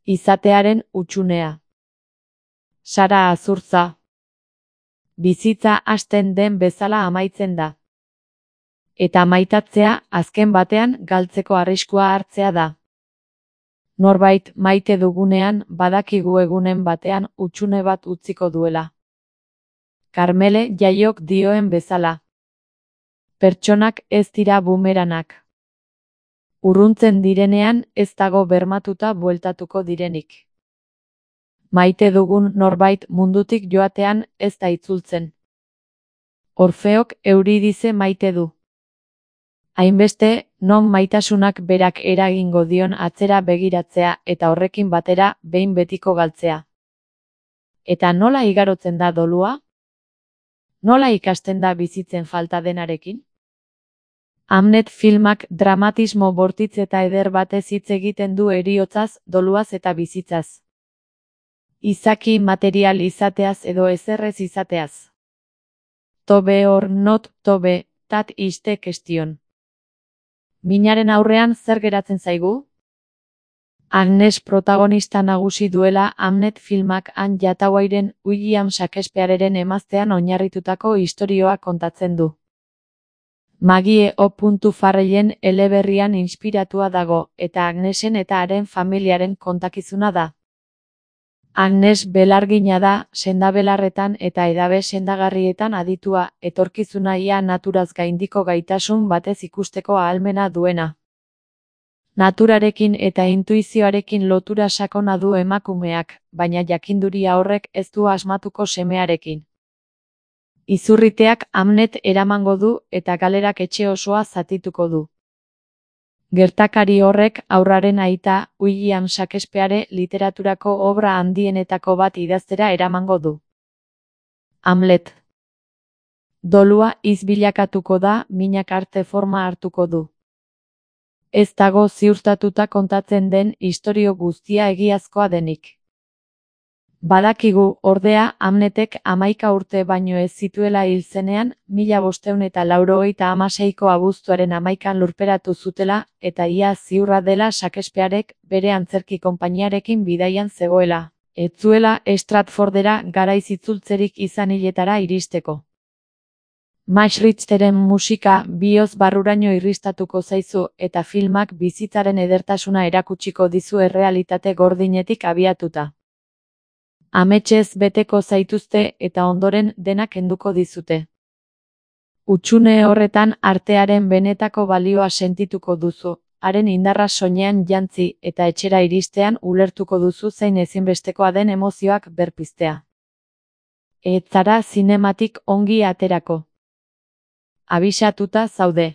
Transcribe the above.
Izatearen hutsunea. Sara Azurtza. Bizitza hasten den bezala amaitzen da. Eta maitatzea azken batean galtzeko arriskua hartzea da. Norbait maite dugunean badakigu egunen batean hutsune bat utziko duela. Karmele Jaiok dioen bezala. Pertsonak ez dira bumeranak. Urruntzen direnean ez dago bermatuta bueltatuko direnik. Maite dugun norbait mundutik joatean ez da itzultzen. Orfeok Euridize maite du. Hainbeste, non maitasunak berak eragingo dion atzera begiratzea eta horrekin batera behin betiko galtzea. Eta nola igarotzen da dolua? Nola ikasten da bizitzen falta denarekin? Hamnet filmak dramatismo bortitz eta eder batez hitz egiten du heriotzaz, doluaz eta bizitzaz. Izaki material izateaz edo ezerrez izateaz. To be or not to be, that is the question. Minaren aurrean zer geratzen zaigu? Agnes protagonista nagusi duela Hamnet filmak Anne Hathawayren William Shakespeareren emaztean oinarritutako istorioa kontatzen du. Maggie O. Farrellen eleberrian inspiratua dago, eta Agnesen eta haren familiaren kontakizuna da. Agnes belargina da, sendabelarretan eta edabe sendagarrietan aditua, etorkizuna ia naturaz gaindiko gaitasun batez ikusteko ahalmena duena. Naturarekin eta intuizioarekin lotura sakona du emakumeak, baina jakinduria horrek ez du asmatuko semearekin. Izurriteak Hamnet eramango du eta galerak etxe osoa zatituko du. Gertakari horrek haurraren aita William Shakespeare literaturako obra handienetako bat idaztera eramango du. Hamlet. Dolua izbilakatuko da, minak arte forma hartuko du. Ez dago ziurtatuta kontatzen den istorio guztia egiazkoa denik. Badakigu, ordea, Hamnetek 11 urte baino ez zituela hil zenean, 1596ko abuztuaren 11an lurperatu zutela, eta ia ziurra dela Shakespearek bere antzerki konpainiarekin bidaian zegoela. Ez zuela Stratfordera garaiz itzultzerik izan hiletara iristeko. Max Richteren musika bihotz barruraino irristatuko zaizu eta filmak bizitzaren edertasuna erakutsiko dizu errealitate gordinetik abiatuta. Ametsez beteko zaituzte eta ondoren denak kenduko dizute. Hutsune horretan artearen benetako balioa sentituko duzu, haren indarra soinean jantzi eta etxera iristean ulertuko duzu zein ezinbestekoa den emozioak berpiztea. Ez zara zinematik ongi aterako. Abisatuta zaude.